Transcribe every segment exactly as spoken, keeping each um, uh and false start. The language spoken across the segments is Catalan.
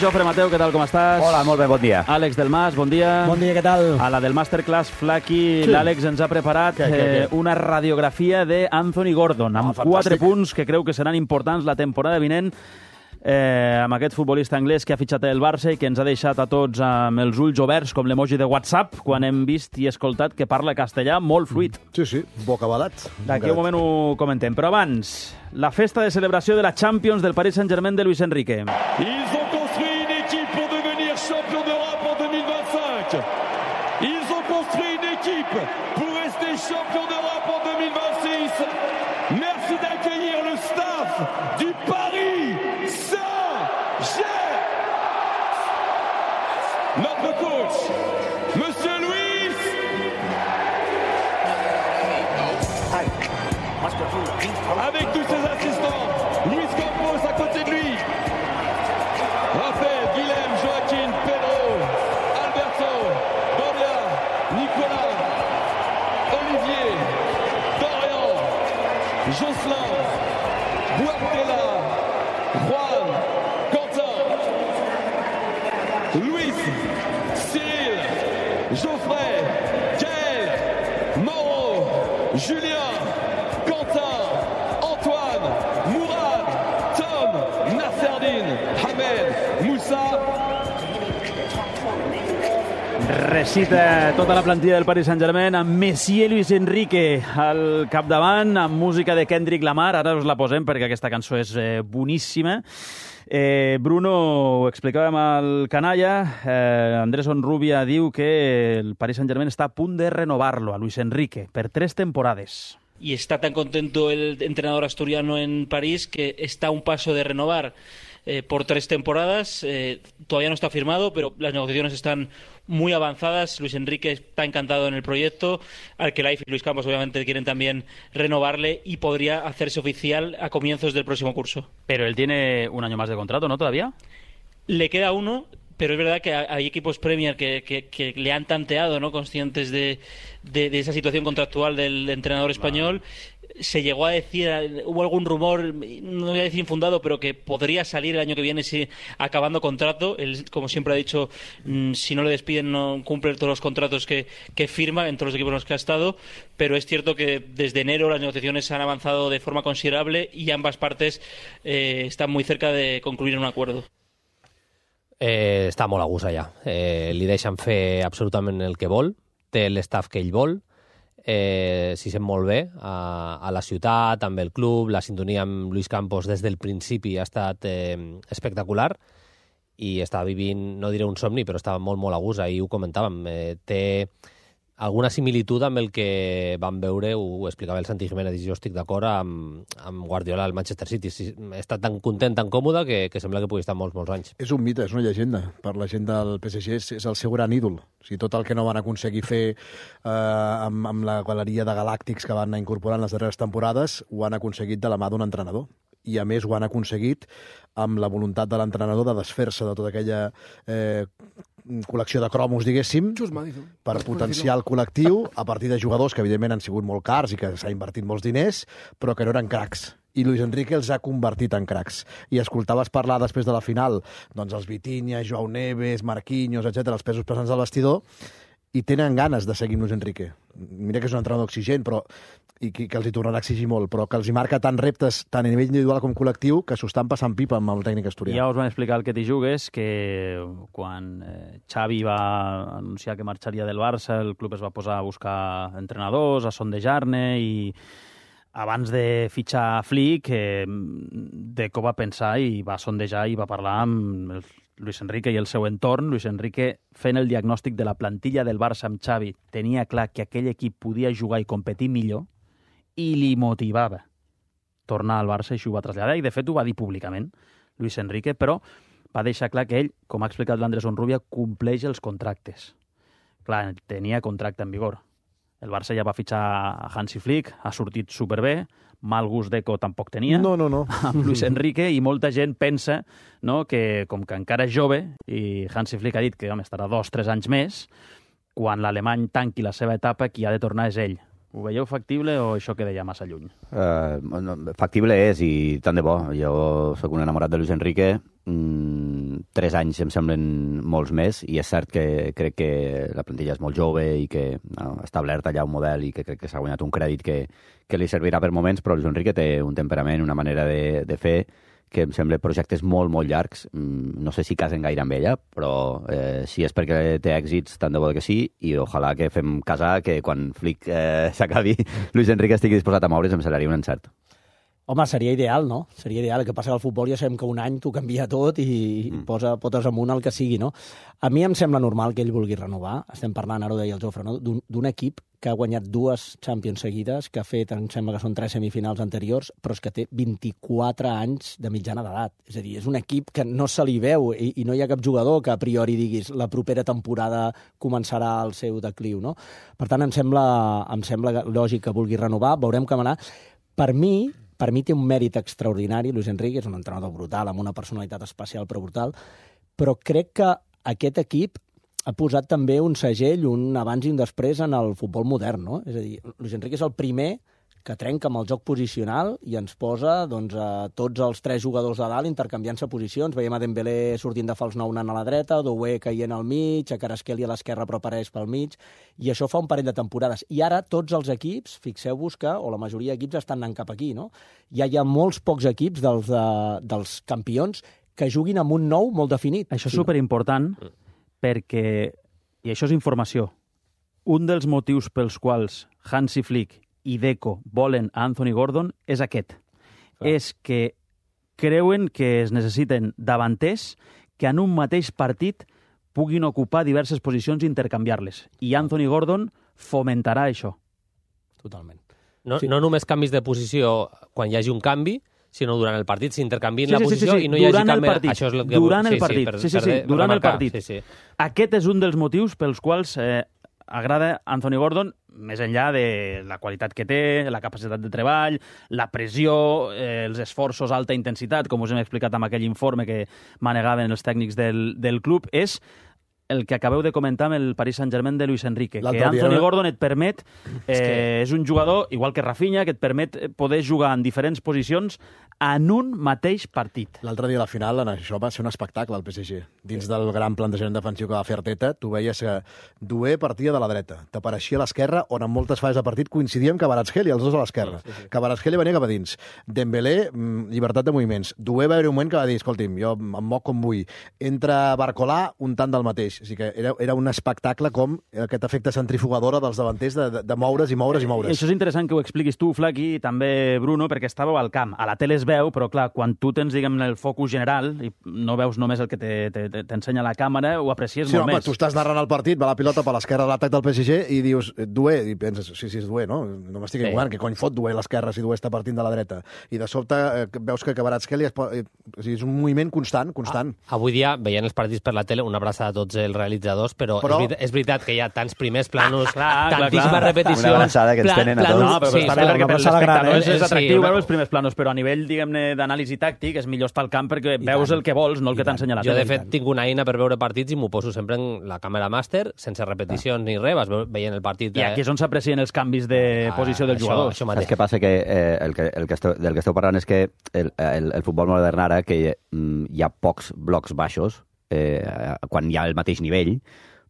Jofre Mateu, què tal, com estàs? Hola, molt bé, bon dia. Àlex Delmas, bon dia. Bon dia, què tal? A la del Masterclass Flaky, sí. L'Àlex ens ha preparat què, què, què? Eh, una radiografia d'Anthony Gordon, amb Ah, quatre fantàstic. punts que creu que seran importants la temporada vinent, eh, amb aquest futbolista anglès que ha fitxat el Barça i que ens ha deixat a tots amb els ulls oberts, com l'emoji de WhatsApp, quan hem vist i escoltat que parla castellà molt fluid. Sí, sí, bocabadat. D'aquí un moment ho comentem. Però abans, la festa de celebració de la Champions del Paris Saint-Germain de Luis Enrique. Ils ont construit une équipe pour devenir champion d'Europe en deux mille vingt-cinq. Ils ont construit une équipe pour rester champion d'Europe en deux mille vingt-six. Merci d'accueillir le staff du Paris Saint-Germain. Notre coach, Monsieur Luis. Avec tous ses assistants, Luis Campos à côté de lui. Raphaël, Guilhem, Joaquin, Pedro, Alberto, Doria, Nicolas, Olivier, Dorian, Jocelyn, Guardiola, Juan, Quentin, Luis, Cyril, Geoffrey, Gaël, Mauro, Julien, Quentin, Antoine, Mourad, Tom, Nasserdine, Hamed, Moussa. Recita tota la plantilla del Paris Saint-Germain amb Messi i Luis Enrique al capdavant, amb música de Kendrick Lamar. Ara us la posem perquè aquesta cançó és eh, boníssima. Eh, Bruno, ho explicàvem al canalla, eh, Andrés Onrubia diu que el Paris Saint-Germain està a punt de renovar-lo a Luis Enrique per tres temporades. Y está tan contento el entrenador asturiano en París que está a un paso de renovar eh, por tres temporadas. Eh, todavía no está firmado, pero las negociaciones están muy avanzadas. Luis Enrique está encantado en el proyecto. Arkelaiz y Luis Campos obviamente quieren también renovarle y podría hacerse oficial a comienzos del próximo curso. Pero él tiene un año más de contrato, ¿no? ¿Todavía? Le queda uno, pero es verdad que hay equipos Premier que, que, que le han tanteado, ¿no? Conscientes de, de, de esa situación contractual del entrenador español. Se llegó a decir, hubo algún rumor, no voy a decir infundado, pero que podría salir el año que viene si acabando contrato. Él, como siempre ha dicho, mmm, si no le despiden no cumple todos los contratos que, que firma en todos los equipos en los que ha estado, pero es cierto que desde enero las negociaciones han avanzado de forma considerable y ambas partes eh, están muy cerca de concluir un acuerdo. Eh, està molt a gust allà. Eh, li deixen fer absolutament el que vol, té l'estaf que ell vol, eh, s'hi sent molt bé a, a la ciutat, amb el club, la sintonia amb Luis Campos des del principi ha estat eh, espectacular i està vivint, no diré un somni, però estava molt, molt a gust, ahir ho comentàvem, eh, té alguna similitud amb el que vam veure, ho explicava el Santi Jiménez, i jo estic d'acord, amb, amb Guardiola al Manchester City. Està tan content, tan còmode, que, que sembla que pugui estar molts, molts anys. És un mite, és una llegenda. Per la gent del P S G és, és el seu gran ídol. O sigui, tot el que no van aconseguir fer eh, amb, amb la galeria de galàctics que van anar incorporant les darreres temporades, ho han aconseguit de la mà d'un entrenador. I, a més, ho han aconseguit amb la voluntat de l'entrenador de desfer-se de tota aquella eh, col·lecció de cromos, diguéssim, per potenciar el col·lectiu a partir de jugadors que, evidentment, han sigut molt cars i que s'ha invertit molts diners, però que no eren cracs. I Luis Enrique els ha convertit en cracs. I escoltaves parlar després de la final, doncs els Vitinha, Joao Neves, Marquinhos, etcètera, els pesos pesants al vestidor, i tenen ganes de seguir amb Luis Enrique. Mira que és un entrenador exigent, però i que, que els hi tornarà a exigir molt, però que els hi marca tant reptes, tant a nivell individual com col·lectiu, que s'ho estan passant pipa amb el tècnic asturià. Ja us van explicar el que t'hi jugues, que quan eh, Xavi va anunciar que marxaria del Barça, el club es va posar a buscar entrenadors, a sondejar-ne, i abans de fitxar Flick, eh, Deco va pensar i va sondejar i va parlar amb el Luis Enrique i el seu entorn. Luis Enrique, fent el diagnòstic de la plantilla del Barça amb Xavi, tenia clar que aquell equip podia jugar i competir millor i li motivava tornar al Barça, i això ho va traslladar, i de fet ho va dir públicament Luis Enrique, però va deixar clar que ell, com ha explicat l'Andrés Onrubia, compleix els contractes. Clar, tenia contracte en vigor. El Barça ja va fitxar a Hansi Flick, ha sortit superbé, mal gust Deco tampoc tenia, no, no, no. amb Luis Enrique, i molta gent pensa, no, que com que encara és jove, i Hansi Flick ha dit que home, estarà dos, tres anys més, quan l'alemany tanqui la seva etapa, qui ha de tornar és ell. Ho veieu factible o això queda ja massa lluny? Uh, no, factible és, i tant de bo. Jo sóc un enamorat de Luis Enrique. Mm, tres anys em semblen molts més, i és cert que crec que la plantilla és molt jove i que no, ha establert allà un model i que crec que s'ha guanyat un crèdit que, que li servirà per moments, però Luis Enrique té un temperament, una manera de, de fer que em sembla projectes molt, molt llargs. No sé si casen gaire amb ella, però eh, si és perquè té èxits, tant de bo que sí, i ojalà que fem casar, que quan Flick eh, s'acabi, Luis Enrique estigui disposat a moure's, em semblaria un encert. Home, seria ideal, no? Seria ideal. El que passa que al futbol ja sabem que un any t'ho canvia tot i mm. posa potes amunt el que sigui, no? A mi em sembla normal que ell vulgui renovar. Estem parlant, ara ho deia el Jofre, no? d'un equip que ha guanyat dues Champions seguides, que ha fet, em sembla que són tres semifinals anteriors, però és que té vint-i-quatre anys de mitjana d'edat. És a dir, és un equip que no se li veu i, i no hi ha cap jugador que a priori diguis la propera temporada començarà el seu decliu, no? Per tant, em sembla, em sembla lògic que vulgui renovar, veurem com anar. Per mi, per mi té un mèrit extraordinari, Luis Enrique, és un entrenador brutal, amb una personalitat especial però brutal, però crec que aquest equip ha posat també un segell, un abans i un després en el futbol modern, no? És a dir, Luis Enrique és el primer que trenca amb el joc posicional i ens posa doncs, a tots els tres jugadors de dalt intercanviant-se posicions. Veiem a Dembélé sortint de fals nou anant a la dreta, Doué caient al mig, a Kvaratskhelia a l'esquerra però apareix pel mig, i això fa un parell de temporades. I ara tots els equips, fixeu-vos que, o la majoria d'equips estan anant cap aquí, no? Ja hi ha molts pocs equips dels, de, dels campions que juguin amb un nou molt definit. Això és superimportant perquè, i això és informació, un dels motius pels quals Hansi Flick i Deco volen a Anthony Gordon és aquest. Clar. És que creuen que es necessiten davanters que en un mateix partit puguin ocupar diverses posicions i intercanviar-les. I Anthony Gordon fomentarà això. Totalment. No, sí. no només canvis de posició quan hi hagi un canvi, sinó durant el partit s'intercanvien sí, la sí, posició sí, sí. i no hi durant hagi canvi. Partit. Això és el que... Durant el sí, partit. Sí, per, sí, sí, sí, per, durant per el partit. Sí, sí. Aquest és un dels motius pels quals eh, agrada Anthony Gordon, més enllà de la qualitat que té, la capacitat de treball, la pressió, eh, els esforços, alta intensitat, com us hem explicat amb aquell informe que manegaven els tècnics del, del club, és el que acabeu de comentar amb el Paris Saint-Germain de Luis Enrique, que Anthony dia... Gordon et permet, eh, és, que... és un jugador, igual que Rafinha, que et permet poder jugar en diferents posicions en un mateix partit. L'altre dia a la final, això va ser un espectacle al P S G. Dins del gran plantejament defensiu que va fer Arteta, tu veies que Doué partia de la dreta, t'apareixia a l'esquerra, on en moltes fases de partit coincidíem Kvaratskhelia, els dos a l'esquerra. Sí, sí. Kvaratskhelia venia cap a dins. Dembélé, llibertat de moviments. Doué va haver un moment que va dir, escolti'm, jo em moc com vull. Entra Barcolà, un tant del mateix. O sigui que era, era un espectacle com aquest efecte centrifugadora dels davanters de, de, de moure's i moure's i moure's. I això és interessant que ho expliquis tu, Flaqui, i també Bruno, perquè estàveu al camp. A la tele es veu, però clar, quan tu tens, diguem, el focus general i no veus només el que t'ensenya la càmera, ho aprecies sí, molt home, més. Tu estàs narrant el partit, va la pilota per l'esquerra de l'atac del P S G i dius, Doué, i penses, sí, sí, és Doué, no? No m'estic equivocant, sí. Que cony fot Doué a l'esquerra si Doué està partint de la dreta. I de sobte eh, veus que Kvaratskhelia eh, o sigui, és un moviment constant, constant. Ah, avui dia, veient els partits per la tele, una abraçada a tots els realitzadors, però, però... És, veritat, és veritat que hi ha tants primers planos, ah, clar, tantíssimes clar, repeticions... Una abraçada que ens tenen a tots. No, però sí, està bé perquè per l'espectador és, és atractiu sí, veure els primers planos, però a nivell, diguem-ne, d'anàlisi tàctic és millor estar al camp perquè I veus tant. El que vols, no el I que t'ensenya la tele. Jo, de fet, tinc una eina per veure partits i m'ho poso sempre en la càmera màster, sense repeticions ah. ni res, vas veient el partit... I aquí és on s'aprecien els canvis de ah, posició del això, jugador. Això Saps què passa? Que, eh, el que, el que esteu, del que esteu parlant és que el, el, el futbol modern ara, que mm, hi ha pocs blocs baixos, eh, quan hi ha el mateix nivell,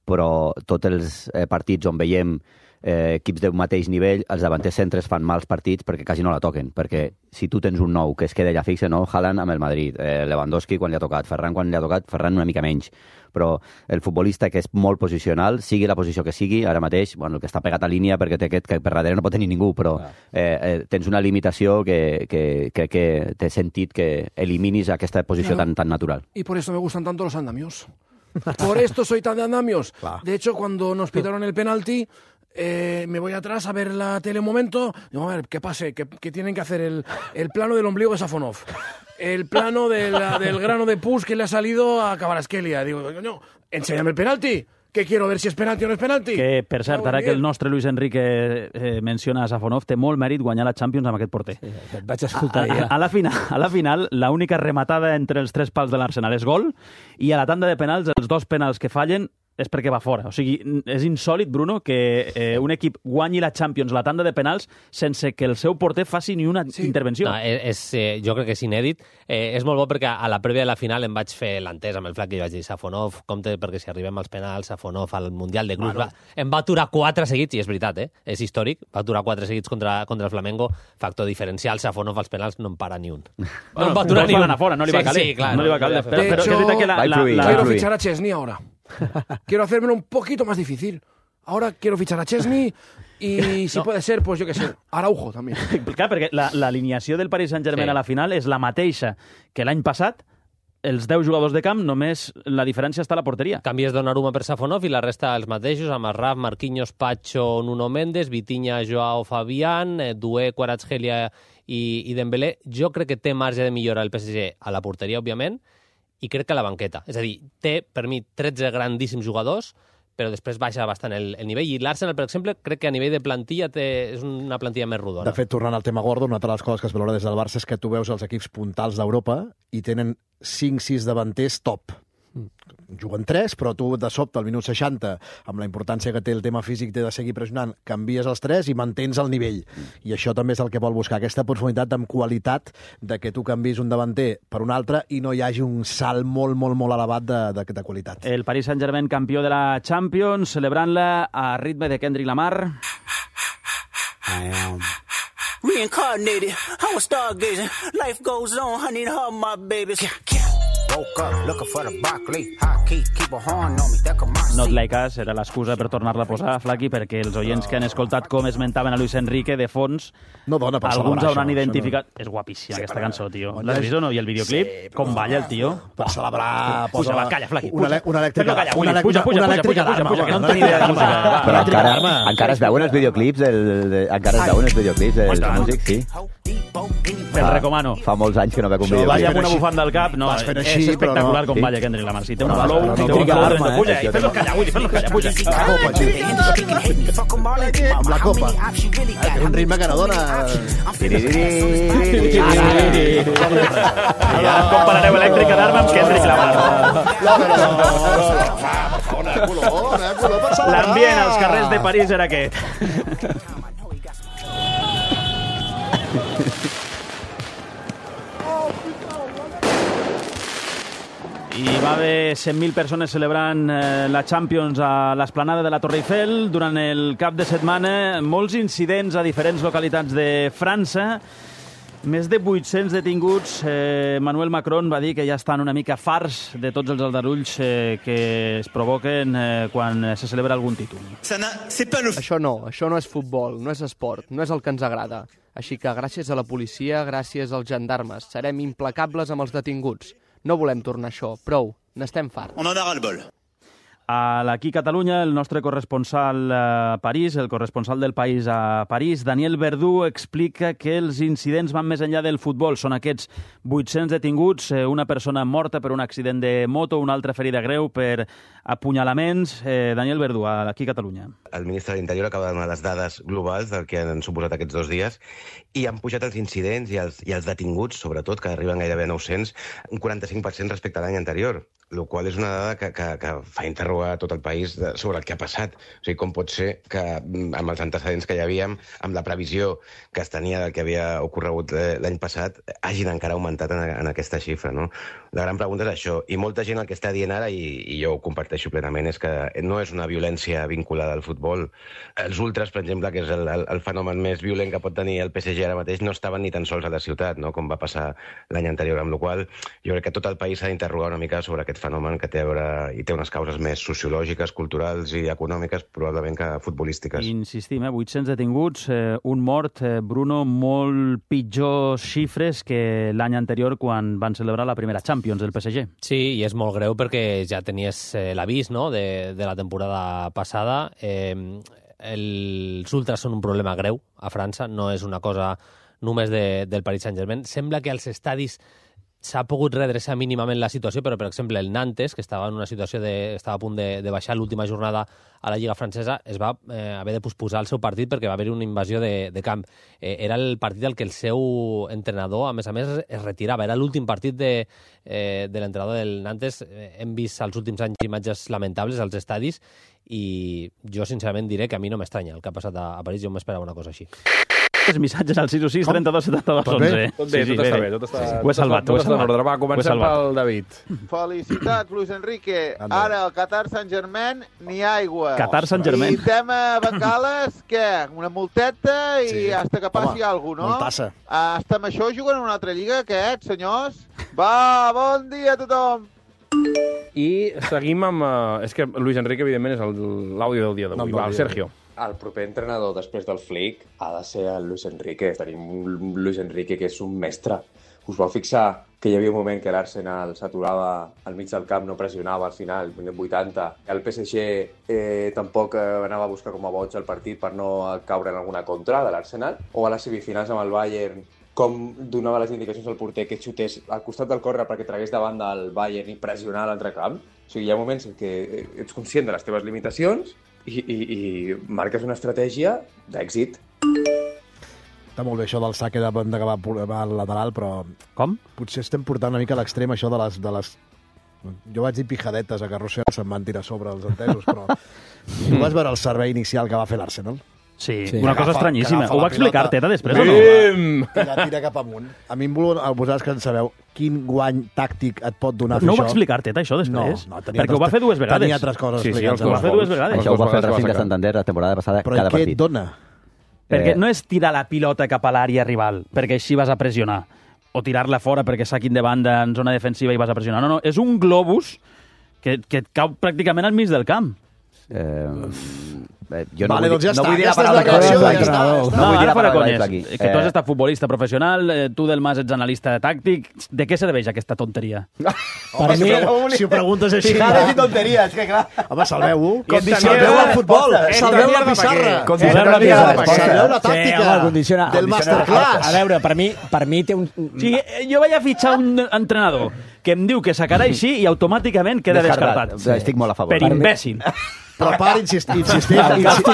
però tots els eh, partits on veiem eh, equips d'un mateix nivell, els davanters centres fan mals partits perquè quasi no la toquen, perquè si tu tens un nou que es queda allà fixe, no? Haaland amb el Madrid, eh, Lewandowski quan li ha tocat, Ferran quan li ha tocat, Ferran una mica menys, però el futbolista que és molt posicional, sigui la posició que sigui, ara mateix, bueno, el que està pegat a línia perquè té aquest que per darrere no pot tenir ningú, però eh, eh, tens una limitació que crec que, que té sentit que eliminis aquesta posició claro. tan, tan natural. Y por eso me gustan tanto los andamios. Por esto soy tan de andamios. Claro. De hecho, cuando nos pitaron el penalti, eh, me voy atrás a ver la tele un momento. Digo, a ver, ¿qué pase? ¿Qué, qué tienen que hacer? El, el plano del ombligo de Safonov. El plano de la, del grano de pus que le ha salido a Kvaratskhelia. Digo, coño, enséñame el penalti. Que quiero ver si és penalti o no és penalti. Que, per cert, ara que el nostre Luis Enrique eh, menciona a Safonov, té molt mèrit guanyar la Champions amb aquest porter. Sí, et vaig escoltar a, a, a, la final, a la final, l'única rematada entre els tres pals de l'Arsenal és gol, i a la tanda de penals, els dos penals que fallen és perquè va fora. O sigui, és insòlid, Bruno, que eh, un equip guanyi la Champions, la tanda de penals, sense que el seu porter faci ni una sí. intervenció. No, és, eh, jo crec que és inèdit. Eh, és molt bo perquè a la prèvia de la final em vaig fer l'entès amb el flac i vaig dir Safonov, compte, perquè si arribem als penals, Safonov al Mundial de Clubs... Bueno. Va, em va aturar quatre seguits, i és veritat, eh? És històric, va aturar quatre seguits contra, contra el Flamengo, factor diferencial, Safonov als penals no en para ni un. Bueno, no en va aturar ni un. Fora, no li va caler. Sí, sí, clar, no li va caler. Però, però, però hecho, que la, la, la, quiero fichar a Chesney ahora. Quiero hacérmelo un poquito más difícil. Ahora quiero fichar a Chesney y si no. puede ser, pues yo qué sé, Araujo també. Clar, perquè l'alineació la, del Paris Saint-Germain sí. a la final és la mateixa que l'any passat, els deu jugadors de camp, només la diferència està a la porteria. Canvies Donnarumma per Safonov i la resta els mateixos, amb Raf, Marquinhos, Pacho, Nuno Mendes, Vitinha, Joao Fabián, Doué, Kvaratskhelia i, i Dembélé. Jo crec que té marge de millora el P S G a la porteria, òbviament, i crec que a la banqueta. És a dir, té, per mi, tretze grandíssims jugadors, però després baixa bastant el, el nivell. I l'Arsenal, per exemple, crec que a nivell de plantilla té, és una plantilla més rodona. De fet, tornant al tema Gordon, una de les coses que es valora des del Barça és que tu veus els equips puntals d'Europa i tenen cinc sis davanters top. Juguen tres, però tu de sobte al minut seixanta, amb la importància que té el tema físic, té de seguir pressionant, canvies els tres i mantens el nivell. I això també és el que vol buscar, aquesta profunditat amb qualitat de que tu canvis un davanter per un altre i no hi hagi un salt molt, molt, molt elevat de, de, de qualitat. El Paris Saint-Germain campió de la Champions, celebrant-la a ritme de Kendrick Lamar. I am reincarnated, I was stargazing. Life goes on, I need her, my babies. Woke up looking for the broccoli. Hot key, keep a horn on me, that come my Not Like Us era l'excusa per tornar-la a posar, Flaqui, perquè els oients que han escoltat com esmentaven a Luis Enrique de fons, no dona per alguns hauran això, identificat... No. És guapíssima sí, aquesta però, cançó, tio. on L'has és... vist o no? I el videoclip? Sí, com balla el tio? Per celebrar... Puja, va, calla, Flaqui, una, puja. una elèctrica, calla, una, una, puja, puja, una puja, elèctrica puja, d'arma. puja, que no en tenia idea de música. Va, però encara, encara es veuen els videoclips del, de, encara es veuen els videoclips dels músics, sí. Te'l recomano. Fa molts anys que no veig un videoclip. Balla amb una bufanda al cap, no, és espectacular com balla Kendrick Lamar. Si té una flow, té un flow, puja, i fes-lo callar, Willy, fes-lo callar, puja. Amb la copa. Té un ritme que no dona... Ja comparareu elèctrica d'arma amb Kendrick Lamar. L'ambient als carrers de París era aquest. I va haver cent mil persones celebrant eh, la Champions a l'esplanada de la Torre Eiffel durant el cap de setmana. Molts incidents a diferents localitats de França. Més de vuit-cents detinguts. Eh, Emmanuel Macron va dir que ja estan una mica farts de tots els aldarulls eh, que es provoquen eh, quan se celebra algun títol. Això no, això no és futbol, no és esport, no és el que ens agrada. Així que gràcies a la policia, gràcies als gendarmes, serem implacables amb els detinguts. No volem tornar a això, prou, n'estem farts. On en a ras-le-bol. Aquí a Catalunya, el nostre corresponsal a París, el corresponsal del País a París, Daniel Verdú, explica que els incidents van més enllà del futbol. Són aquests vuit-cents detinguts, una persona morta per un accident de moto, una altra ferida greu per apunyalaments. Eh, Daniel Verdú, aquí a Catalunya. El ministre de l'Interior acaba de donar les dades globals del que han suposat aquests dos dies i han pujat els incidents i els, i els detinguts, sobretot, que arriben gairebé a nou-cents, un quaranta-cinc per cent respecte a l'any anterior, el qual és una dada que, que, que fa interrogar tot el país de, sobre el que ha passat. O sigui, com pot ser que amb els antecedents que hi havíem, amb la previsió que es tenia del que havia ocorregut l'any passat, hagin encara augmentat en, en aquesta xifra, no? La gran pregunta és això, i molta gent el que està dient ara, i, i jo ho comparteixo plenament, és que no és una violència vinculada al futbol. Els ultras, per exemple, que és el, el, el fenomen més violent que pot tenir el P S G ara mateix, no estaven ni tan sols a la ciutat, no? Com va passar l'any anterior, amb la qual jo crec que tot el país s'ha d'interrogar una mica sobre aquest fenomen que té a veure i té unes causes més sociològiques, culturals i econòmiques, probablement que futbolístiques. Insistim, eh? vuit-cents detinguts, eh, un mort, eh, Bruno, molt pitjors xifres que l'any anterior quan van celebrar la primera Champions del P S G. Sí, i és molt greu perquè ja tenies eh, l'avís, no?, de, de la temporada passada. Eh, els ultras són un problema greu a França, no és una cosa només de, del Paris Saint-Germain. Sembla que als estadis s'ha pogut redreçar mínimament la situació, però, per exemple, el Nantes, que estava en una situació de... estava a punt de, de baixar l'última jornada a la Lliga Francesa, es va eh, haver de posposar el seu partit perquè va haver una invasió de, de camp. Eh, era el partit al que el seu entrenador, a més a més, es retirava. Era l'últim partit de, eh, de l'entrenador del Nantes. Eh, hem vist als últims anys imatges lamentables als estadis i jo, sincerament, diré que a mi no m'estranya el que ha passat a, a París. Jo m'esperava una cosa així. Els missatges al sis u sis trenta-dos setanta-dos onze. Tot bé, tot està bé. Tot està, ho he salvat, tot ho he està en salvat. ordre. Va, comencem pel David. Felicitats, Luis Enrique. Ara, al Qatar Saint-Germain, ni aigua. Qatar Saint-Germain. I tema Bengales, què? Una multeta i Sí. hasta que passi alguna cosa, no? multassa. Hasta amb això juguen en una altra lliga, aquest, senyors? Va, bon dia a tothom. I seguim amb... Uh, és que Luis Enrique, evidentment, és el- l'àudio del dia d'avui. Va, el Sergio. El proper entrenador després del Flick ha de ser el Luis Enrique. Tenim un Luis Enrique que és un mestre. Us vau fixar que hi havia un moment que l'Arsenal s'aturava al mig del camp, no pressionava al final, minut vuitanta. El P S G eh, tampoc eh, anava a buscar com a boig el partit per no caure en alguna contra de l'Arsenal. O a les semifinals amb el Bayern, com donava les indicacions al porter que xutés al costat del córner perquè tragués davant del Bayern i pressionar l'altre camp. O sigui, hi ha moments en què ets conscient de les teves limitacions i, i, i marques una estratègia d'èxit. Està molt bé això del saque de banda que va, va al lateral, però... Com? Potser estem portant una mica a l'extrem això de les... De les... Jo vaig dir pijadetes a carrosser, se'm van tirar sobre els entesos, però... Tu vas veure el servei inicial que va fer l'Arsenal? Sí, Sí. una cosa Agafa- estranyíssima. agafa Ho la va explicar pilota. Teta després o no? Bim! I la tira cap amunt. A mi em vol... Vosaltres que en sabeu, quin guany tàctic et pot donar fer No ho això? va explicar Teta, això, després? No, no, tenia Perquè ho va altres- fer dues vegades. Tenia altres coses Sí, sí, explicades. els Ho va fer dues vegades. Això ho va fer el dos Racing de vegades. Santander la temporada passada, Però cada què et partit. dona? Perquè Eh, no és tirar la pilota cap a l'àrea rival, perquè així vas a pressionar, o tirar-la fora perquè saquin de banda en zona defensiva i vas a pressionar. No, no, és un globus que, que et cau pràcticament al mig del camp. Eh, eh, jo no Vale, vull, doncs ja no està, vull dir aquesta la és la paraula reacció, que ja vaig està, dir. ja està. No vull dir ara la fora paraula conyes. aquí. Que tu has Eh, estat futbolista professional, eh, tu del Mas ets analista tàctic. De què serveix aquesta tonteria? Per mi, si ho preguntes així... Fijades i tonteries, que clar. Home, salveu-ho. Condiciona- Salveu el futbol. Esta Salveu la mierda pa' pissarra. què? Salveu la Esta pissarra. mierda pa' què? Salveu la Sí, tàctica home, condiciona- del masterclass. A veure, per mi, per mi té un... O sigui, eh, jo vaig a fitxar un entrenador que em diu que sacarà així i automàticament queda descartat. Estic molt a favor. Per imbècil. Però per insistir, insistir. Però insistir.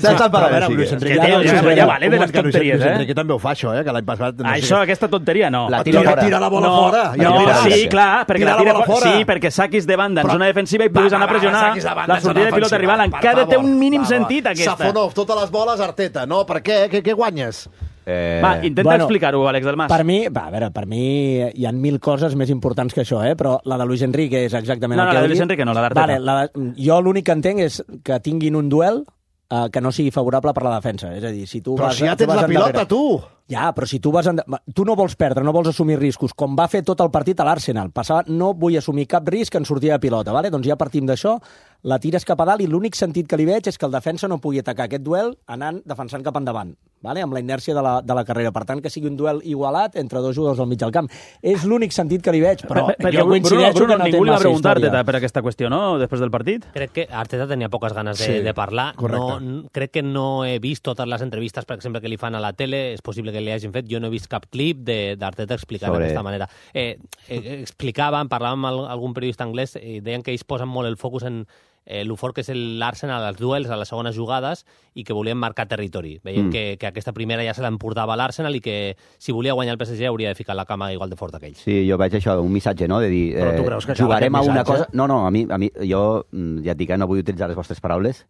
Saps el A parlar, veure, sí, Luis que- Enrique, que, tio, Luis ja, Enrique, ja vale de un les moment que Luis- tonteries, Luis eh? Enrique també ho fa, això, eh? Que l'any passat... No Això, aquesta tonteria, no. La Tira, tira fora. tira la bola no, fora. Ja no, tira. sí, clar, perquè Tira la la tira bola fora. fora. Sí, perquè saquis de banda en Però- zona defensiva i Va, puguis va, anar a va, pressionar saquis de banda la en zona sortida de pilota defensiva. rival. Per Encara té favor. un mínim Va, va. sentit, aquesta. Safonov, totes les boles, Arteta. No, per què? Què, què guanyes? Eh, Va, intenta Bueno, explicar-ho, Àlex del Mas. Per mi, va, a veure, per mi hi ha mil coses més importants que això, eh? Però la de Luis Enrique és exactament No, el no, que la de heu Luis dit. Enrique no, la d'Arteta. Vale, la de, jo l'únic que entenc és que tinguin un duel eh, que no sigui favorable per la defensa. És a dir, si tu Però vas, si ja tu tens vas la pilota, endarrere- tu. Ja, però si tu vas... En... Tu no vols perdre, no vols assumir riscos, com va fer tot el partit a l'Arsenal. Passava, no vull assumir cap risc en sortida de pilota, vale? Doncs ja partim d'això, la tires cap a dalt i l'únic sentit que li veig és que el defensa no pugui atacar aquest duel anant defensant cap endavant, vale? Amb la inèrcia de la, de la carrera. Per tant, que sigui un duel igualat entre dos jugadors al mig del camp. És l'únic sentit que li veig, però Per- perquè jo Bruno, coincideixo Bruno, que no té ningú li va massa preguntar història. Teta per aquesta qüestió, no?, després del partit. Crec que Arteta tenia poques ganes de, Sí, de parlar. correcte. No, n- crec que no he vist totes les entrevistes, per exemple, que li fan a la tele. És possible que li hagin fet. Jo no he vist cap clip de- d'Arteta explicant Sobre- d'aquesta manera. Eh, eh, explicaven, parlaven amb al- algun periodista anglès i deien que ells posen molt el focus en eh, el fort que és l'Arsenal als duels, a les segones jugades, i que volien marcar territori. Veien Mm. que, que aquesta primera ja se l'emportava l'Arsenal i que si volia guanyar el P S G hauria de ficar la cama igual de fort que ells. Sí, jo veig això, un missatge, no?, de dir, Però tu eh, creus que cal jugarem a aquest una missatge? cosa... No, no, a mi, a mi jo mm, ja et dic que no vull utilitzar les vostres paraules,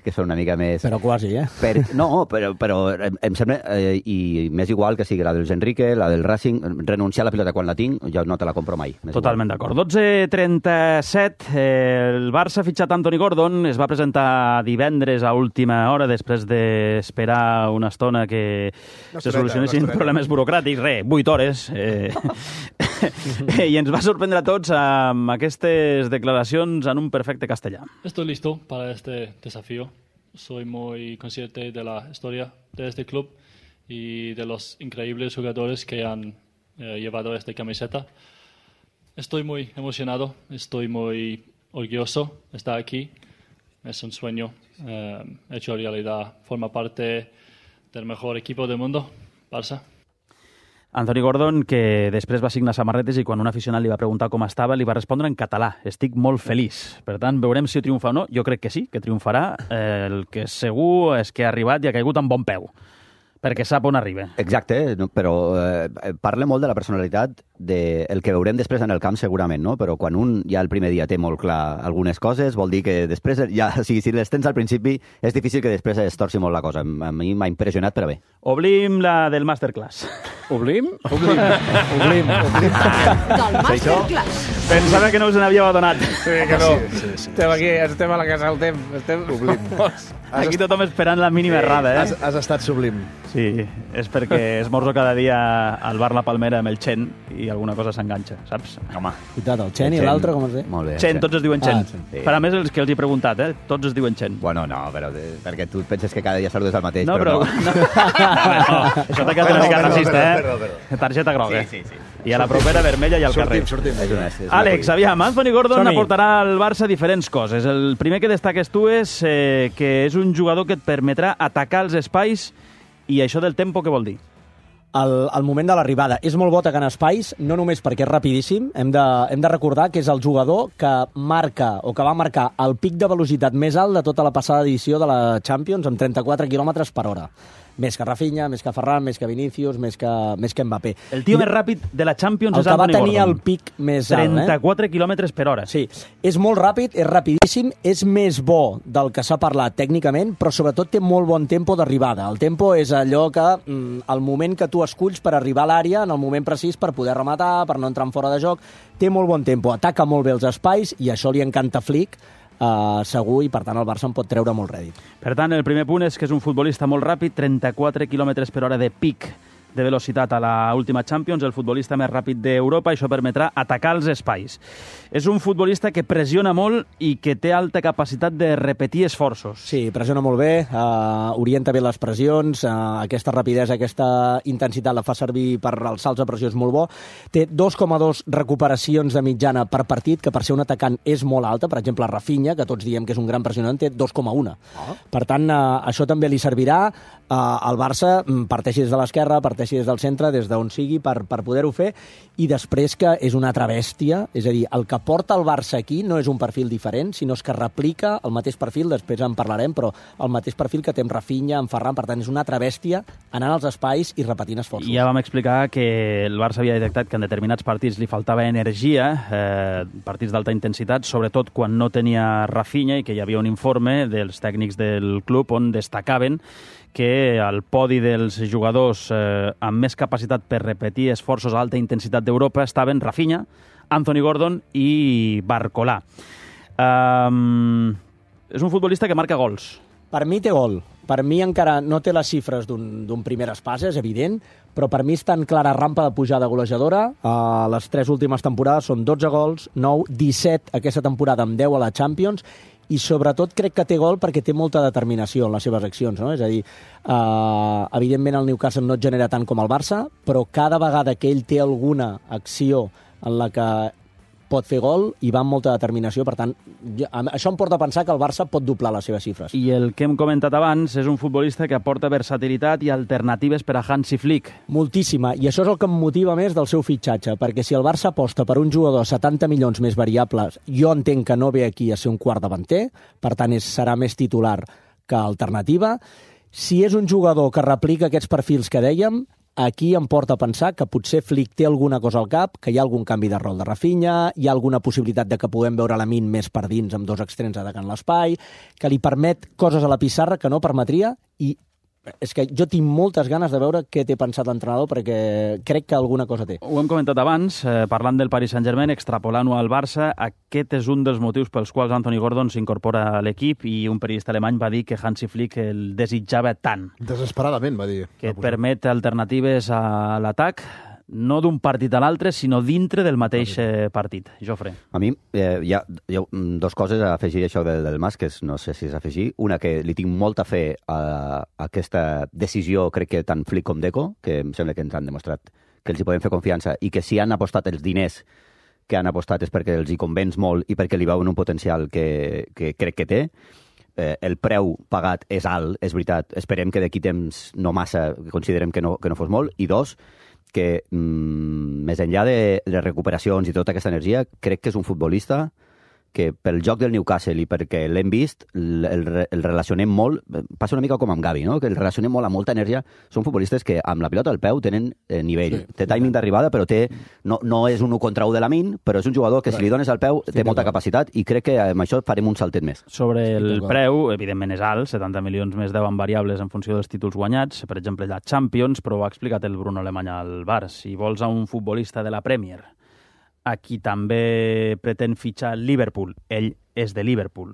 que són una mica més... Però quasi, eh? Per, no, però, però em, em sembla, eh, i m'és igual que sigui la dels Enrique, la del Racing, renunciar a la pilota quan la tinc, jo no te la compro mai. M'és Totalment d'acord. dotze trenta-set, eh, el Barça ha fitxat Anthony Gordon, es va presentar divendres a última hora, després d'esperar una estona que Una se estoneta, solucionessin una estoneta. problemes burocràtics, re, vuit hores. Eh, I ens va sorprendre a tots amb aquestes declaracions en un perfecte castellà. Estoy listo para este desafío. Soy muy consciente de la historia de este club y de los increíbles jugadores que han eh, llevado esta camiseta. Estoy muy emocionado, estoy muy orgulloso de estar aquí. Es un sueño eh, hecho realidad. Forma parte del mejor equipo del mundo, Barça. Anthony Gordon, que després va signar samarretes i quan un aficionat li va preguntar com estava, li va respondre en català. Estic molt feliç. Per tant, veurem si triomfa o no. Jo crec que sí, que triomfarà. Eh, el que és segur és que ha arribat i ha caigut amb bon peu, perquè sap on arriba. Exacte, no, però eh, parla molt de la personalitat, de el que veurem després en el camp segurament, no? Però quan un ja el primer dia té molt clar algunes coses, vol dir que després, ja, o sigui, si les tens al principi, és difícil que després es torci molt la cosa. A mi m'ha impressionat, però bé. Oblim la del Masterclass. Oblim? Oblim. Oblim. Oblim. Del Masterclass. Pensava que no us n'havíeu adonat. Sí, que no. Sí, sí, sí. Estem aquí, estem a la casa del temps. Estem... Oblim. Aquí tothom esperant la mínima errada, eh? Has, has estat sublim. Sí, és perquè esmorzo cada dia al bar La Palmera amb el Chen i alguna cosa s'enganxa, saps? Home. Cuitat, el Chen i l'altre, com es diu? Molt bé. Chen, tots es diuen Chen. Ah, sí. Per a més, els que els he preguntat, eh? Tots es diuen Chen. Bueno, no, però de, perquè tu penses que cada dia saludes el mateix, No, però, però... no. no. Això t'ha quedat una mica Perdó, racista, perdó, eh? perdó, perdó. Targeta groga. Sí, sí, sí. I a la propera vermella i al carrer. Sortim, sortim. És una, és una Àlex, cosa. aviam, Anthony Gordon Som-hi. aportarà al Barça diferents coses. El primer que destaques tu és eh, que és un jugador que et permetrà atacar els espais, i això del tempo què vol dir? El, el moment de l'arribada. És molt bo atacant espais, no només perquè és rapidíssim, hem de, hem de recordar que és el jugador que marca, o que va marcar el pic de velocitat més alt de tota la passada edició de la Champions, amb trenta-quatre quilòmetres per hora. Més que Rafinha, més que Ferran, més que Vinícius, més que, més que Mbappé. El tio I més ràpid de la Champions el és que va Anthony tenir Gordon. el pic més alt, eh? trenta-quatre quilòmetres per hora. Sí, és molt ràpid, és rapidíssim, és més bo del que s'ha parlat tècnicament, però sobretot té molt bon tempo d'arribada. El tempo és allò que, mm, el moment que tu esculls per arribar a l'àrea, en el moment precís per poder rematar, per no entrar en fora de joc, té molt bon tempo, ataca molt bé els espais, i això li encanta Flick, Uh, segur, i per tant el Barça en pot treure molt rèdit. Per tant, el primer punt és que és un futbolista molt ràpid, trenta-quatre quilòmetres per hora de pic de velocitat a la última Champions, el futbolista més ràpid d'Europa, això permetrà atacar els espais. És un futbolista que pressiona molt i que té alta capacitat de repetir esforços. Sí, pressiona molt bé, uh, orienta bé les pressions, uh, aquesta rapidesa, aquesta intensitat la fa servir per als salts de pressió, és molt bo. Té dos coma dos recuperacions de mitjana per partit, que per ser un atacant és molt alta. Per exemple, Rafinha, que tots diem que és un gran pressionant, té dos coma un. Oh. Per tant, uh, això també li servirà. Uh, el Barça parteixi des de l'esquerra, parteixi des del centre, des d'on sigui, per, per poder-ho fer, i després que és una altra bèstia, és a dir, el que porta el Barça aquí no és un perfil diferent, sinó és que replica el mateix perfil, després en parlarem, però el mateix perfil que té amb Rafinha, amb Ferran, per tant, és una altra bèstia anant als espais i repetint esforços. Ja vam explicar que el Barça havia detectat que en determinats partits li faltava energia, eh, partits d'alta intensitat, sobretot quan no tenia Rafinha, i que hi havia un informe dels tècnics del club on destacaven que al podi dels jugadors eh, amb més capacitat per repetir esforços a alta intensitat d'Europa estaven Rafinha, Anthony Gordon i Barcolà. Um, és un futbolista que marca gols. Per mi té gol. Per mi encara no té les xifres d'un primer espasa, és evident, però per mi està en clara rampa de pujada golejadora. Uh, les tres últimes temporades són dotze gols, nou, disset aquesta temporada amb deu a la Champions, i sobretot crec que té gol perquè té molta determinació en les seves accions, no? És a dir, uh, evidentment el Newcastle no et genera tant com el Barça, però cada vegada que ell té alguna acció en la que pot fer gol i va amb molta determinació, per tant, jo, això em porta a pensar que el Barça pot doblar les seves xifres. I el que hem comentat abans és un futbolista que aporta versatilitat i alternatives per a Hansi Flick. Moltíssima, i això és el que em motiva més del seu fitxatge, perquè si el Barça aposta per un jugador a setanta milions més variables, jo entenc que no ve aquí a ser un quart davanter, per tant és, serà més titular que alternativa. Si és un jugador que replica aquests perfils que dèiem, aquí em porta a pensar que potser Flick té alguna cosa al cap, que hi ha algun canvi de rol de Rafinha, hi ha alguna possibilitat de que puguem veure Lamine més per dins amb dos extrems atacant l'espai, que li permet coses a la pissarra que no permetria, i és que jo tinc moltes ganes de veure què té pensat l'entrenador, perquè crec que alguna cosa té. Ho hem comentat abans, eh, parlant del Paris Saint-Germain, extrapolant-ho al Barça, aquest és un dels motius pels quals Anthony Gordon s'incorpora a l'equip, i un periodista alemany va dir que Hansi Flick el desitjava tant. Desesperadament, va dir. Que et permet alternatives a l'atac, no d'un partit a l'altre, sinó dintre del mateix eh, partit. Jofre. A mi eh, hi, ha, hi ha dos coses a afegir això del, del Mas, que és, no sé si és afegir. Una, que li tinc molta fe a, a aquesta decisió, crec que tant Flick com Deco, que em sembla que ens han demostrat que els hi podem fer confiança, i que si han apostat els diners que han apostat és perquè els hi convenç molt i perquè li veuen un potencial que, que crec que té. Eh, el preu pagat és alt, és veritat. Esperem que d'aquí temps no massa, considerem que no, que no fos molt. I dos, que, mm, més enllà de, de recuperacions i tota aquesta energia, crec que és un futbolista que pel joc del Newcastle i perquè l'hem vist, el, el, el relacionem molt, passa una mica com amb Gavi, no? Que el relacionem molt amb molta energia. Són futbolistes que amb la pilota al peu tenen eh, nivell. Sí, té timing d'arribada, però té, no, no és un u contra u de la min, però és un jugador que si li dones al peu té molta capacitat i crec que amb això farem un saltet més. Sobre el preu, evidentment és alt, setanta milions més deu en variables en funció dels títols guanyats, per exemple la Champions, però ho ha explicat el Bruno Alemany al Bar. Si vols a un futbolista de la Premier a qui també pretén fitxar Liverpool, ell és de Liverpool,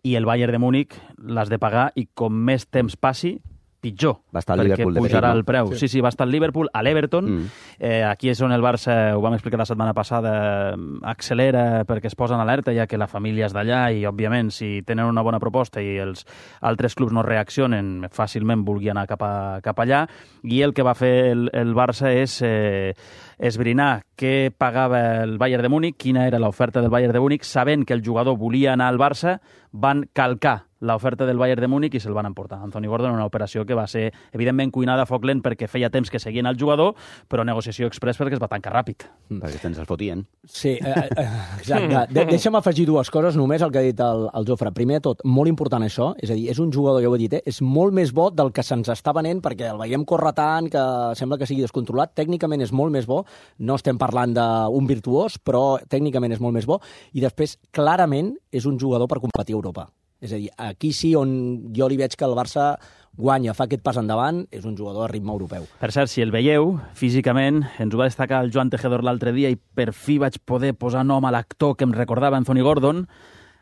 i el Bayern de Múnich l'has de pagar i com més temps passi, pitjor, va estar perquè Liverpool pujarà de el preu. Sí. sí, sí, va estar el Liverpool, a l'Everton. Mm. Eh, aquí és on el Barça, ho vam explicar la setmana passada, accelera perquè es posen alerta, ja que la família és d'allà i, òbviament, si tenen una bona proposta i els altres clubs no reaccionen, fàcilment vulgui anar cap, a, cap allà. I el que va fer el, el Barça és eh, esbrinar què pagava el Bayern de Múnich, quina era l'oferta del Bayern de Múnich, sabent que el jugador volia anar al Barça, van calcar l'oferta del Bayern de Múnich i se'l van emportar. Anthony Gordon, una operació que va ser, evidentment, cuinada a foc lent perquè feia temps que seguien el jugador, però negociació express perquè es va tancar ràpid. Mm. Perquè tens el fotien. Sí, eh, eh, exacte. De deixa'm afegir dues coses, només el que ha dit el, el Jofre. Primer de tot, molt important això, és a dir, és un jugador, ja ho he dit, eh, és molt més bo del que se'ns està venent, perquè el veiem córrer tant, que sembla que sigui descontrolat. Tècnicament és molt més bo, no estem parlant d'un virtuós, però tècnicament és molt més bo, i després, clarament, és un jugador per competir a Europa. És a dir, aquí sí on jo li veig que el Barça guanya, fa aquest pas endavant, és un jugador a ritme europeu. Per cert, si el veieu, físicament, ens ho va destacar el Joan Tejedor l'altre dia i per fi vaig poder posar nom a l'actor que em recordava Anthony Gordon,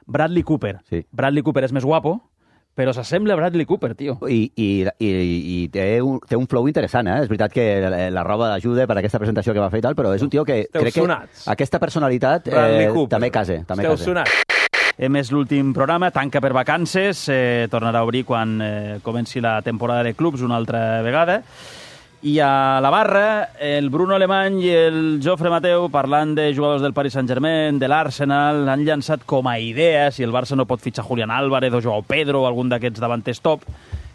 Bradley Cooper. Sí. Bradley Cooper és més guapo, però s'assembla a Bradley Cooper, tio. I, i, i, i té, un, té un flow interessant, eh? És veritat que la, la roba ajuda per aquesta presentació que va fer i tal, però és un tio que Esteu crec sonats. que aquesta personalitat eh, també case. També Esteu case. sonats. Hem és l'últim programa, tanca per vacances, eh, tornarà a obrir quan eh, comenci la temporada de clubs una altra vegada. I a la barra, el Bruno Alemany i el Jofre Mateu, parlant de jugadors del Paris Saint-Germain, de l'Arsenal, han llançat com a idea, si el Barça no pot fitxar Julián Álvarez o Joao Pedro o algun d'aquests davanters top,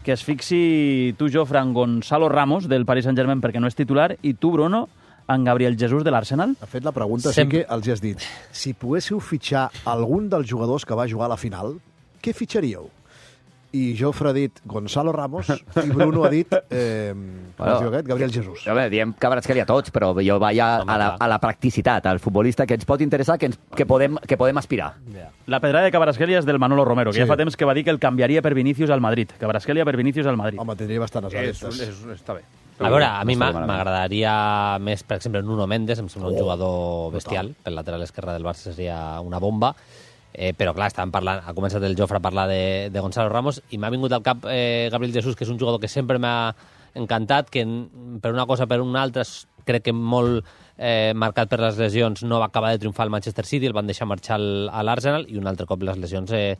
que es fixi tu, Jofre, en Gonzalo Ramos, del Paris Saint-Germain, perquè no és titular, i tu, Bruno, en Gabriel Jesús de l'Arsenal? Ha fet la pregunta, Sempre. sí que els has dit. Si poguéssiu fitxar algun dels jugadors que va jugar a la final, què fitxaríeu? I Jofre ha dit Gonzalo Ramos i Bruno ha dit eh, bueno, aquest, Gabriel Jesús. A veure, diem Kvaratskhelia tots, però jo vaig a, a, la, a la practicitat, al futbolista que ens pot interessar, que, ens, que, podem, que podem aspirar. Yeah. La pedrada de Kvaratskhelia és del Manolo Romero, que sí. ja fa temps que va dir que el canviaria per Vinícius al Madrid. Kvaratskhelia per Vinícius al Madrid. Home, tindria bastantes alertes. És, és, està bé. A veure, a mi m'agradaria més, per exemple, Nuno Mendes, em sembla un jugador bestial, pel lateral esquerre del Barça seria una bomba, eh, però clar, estàvem parlant, ha començat el Jofre a parlar de, de Gonzalo Ramos i m'ha vingut al cap eh, Gabriel Jesús, que és un jugador que sempre m'ha encantat, que per una cosa per una altra crec que molt eh, marcat per les lesions no va acabar de triomfar al Manchester City, el van deixar marxar al, a l'Arsenal i un altre cop les lesions eh,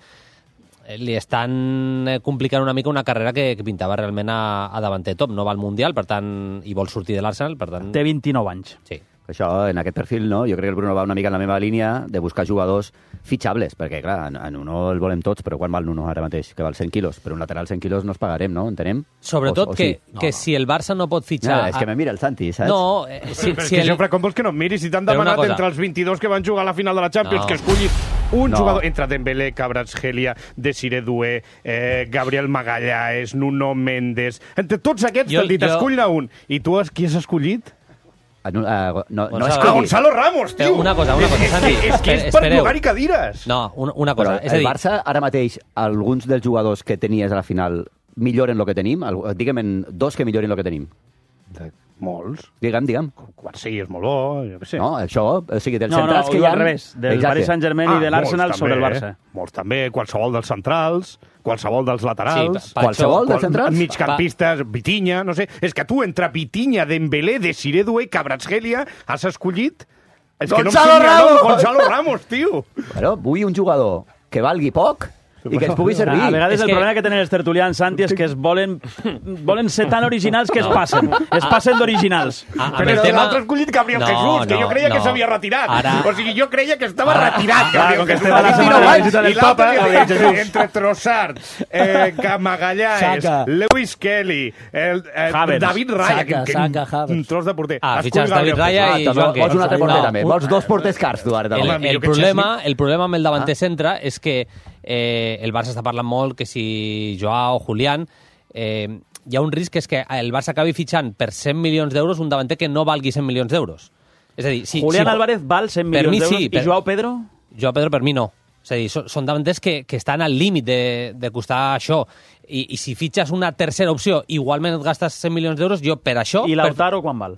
li estan complicant una mica una carrera que, que pintava realment a, a davanter top. No va al Mundial, per tant, i vol sortir de l'Arsenal, per tant... Té vint-i-nou anys. Sí. Això, en aquest perfil, no? Jo crec que el Bruno va una mica en la meva línia de buscar jugadors fitxables, perquè, clar, a Nuno el volem tots, però quan val Nuno ara mateix? Que val cent quilos. Per un lateral cent quilos no els pagarem, no? Entenem? Sobretot o, o que, sí? que no, no. si el Barça no pot fitxar... Ja, és que me mira el Santi, saps? No, eh, si, però si és que, el... Jofre, com vols que no em miris? Si t'han demanat entre els vint-i-dos que van jugar a la final de la Champions, No. que escullis un No. jugador entre Dembélé, Kvaratskhelia, Desiré Doué, eh, Gabriel Magallanes, Nuno Mendes... Entre tots aquests Jo- t'han dit, jo- escull-ne un. I tu has, qui has escollit? Ah, no, uh, no, no Gonzalo- és Ah, que... Gonzalo Ramos, tio! Una cosa, una cosa, És, Santi, és, és que és espe- per espereu. llogar-hi cadires. No, una, una cosa. Però és a el dir, Barça, ara mateix, alguns dels jugadors que tenies a la final milloren el que tenim? Algú- Digue'm en dos que milloren el que tenim. De molts. Digue'm, digue'm. Quarsí és molt bo, jo què sé. No, això, o sigui, dels No, no, centrals ho que hi diu ha... al revés, del Paris Saint-Germain i de l'Arsenal molts sobre el també, Barça. eh? Molts també, qualsevol dels centrals, qualsevol dels laterals... Sí, pa- Qualsevol dels qual- centrals? Migcampistes, Vitinha, no sé... És que tu, entre Vitinha, Dembélé, Desiré Doué i Kvaratskhelia, has escollit... És que no em Gonzalo surt ni el nom, Ramos! Gonzalo Ramos, tio! Bueno, vull un jugador que valgui poc, I que ens pugui servir. A vegades És el que- problema que tenen els tertulians, Santi, és que es volen, volen ser tan originals que es passen. Es passen d'originals. A, amb Però el tema... tema... l'altre escollit Gabriel No, Jesús, que no, jo creia que no. s'havia retirat. Ara- O sigui, jo creia que estava Ara- retirat, Clar, Gabriel com que Jesús. estem a la vint i setmana nou de anys, visita del i l'altre Papa, dia, Gabriel entre, Jesús. entre Trossard, eh, Magallanes, Saka. Lewis Kelly, el, eh, Havertz. David Raya, Saka, que, que Saka, un Havertz. tros de porter. Ah, Escull fitxes David Gabriel Raya Jesús. i Ah, Joan vols un altre No, porter, també. un- Vols dos porters cars, tu, ara, també. El, Home, el, millor que problema, el problema amb el davanter centre és que eh, el Barça està parlant molt que si Joao, Julián... Eh, hi ha un risc que és que el Barça acabi fitxant per cent milions d'euros un davanter que no valgui cent milions d'euros. És a dir, si, Julián si, Álvarez val cent per milions mi d'euros sí, i per- Joao Pedro... Joao Pedro per mi no. És a dir, són, són davanters que, que estan al límit de, de costar això. I, I si fitxes una tercera opció, igualment et gastes cent milions d'euros, jo per això... I per, Lautaro quan val?